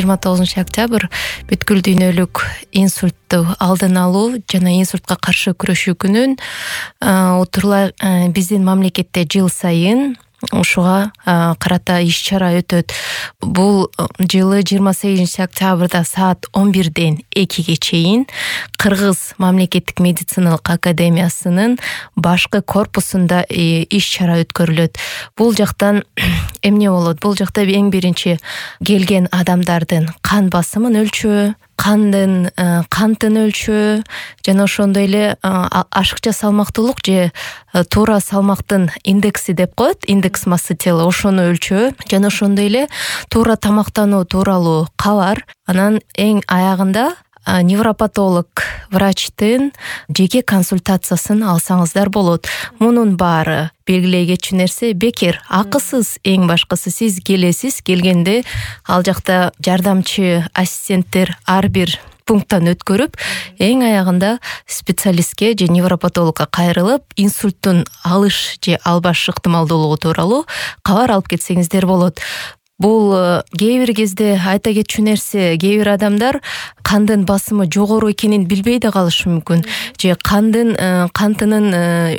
29-октябрь бүткүл дүйнөлүк инсультту алдын алуу жана инсультка каршы күрөшүү күнүн отурлай биздин мамлекетте жыл сайын ушуга карата иш-чара өтөт. Бул жылы 28-октябрда саат 11-ден 2-ге чейин Кыргыз мамлекеттик медициналык академиясынын башкы корпусунда иш-чара өткөрүлөт. Бул жактан эмне болот? Бул жакта эң биринчи келген адамдардын кан басымын өлчөө, кантын өлчөө жана ошондой эле ашыкча салмактуулук же туура салмактын индекси деп коет, индекс массы тела, ошону өлчөө жана ошондой эле туура тамактануу тууралуу кабар. Анан эң аягында невропатолог врачтын жеке консультациясын алсаңыздар болот. Мунун баары белгилей кетчү нерсе бекер, акысыз. Эң башкысы сиз келесиз, келгенде ал жакта жардамчы ассистенттер ар бир пункттан өткөрүп, эң аягында специалистке же невропатологко кайрылып, инсульттун алыш же албаш ыктымалдуулугу тууралуу кабар алып кетсеңиздер болот. Бул кээ бир кезде айта кетчү нерсе, кээ бир адамдар кандын басымы жогору экенин билбей да калышы мүмкүн, же кантынын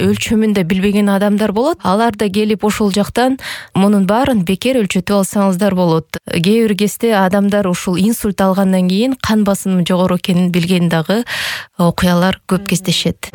өлчөмүн да билбеген адамдар болот. Алар да келип ошол жактан мунун баарын бекер өлчөтүп алсаңыздар болот. Кээ бир кезде адамдар ушул инсульт алгандан кийин кан басымы жогору экенин билген дагы окуялар көп кездешет.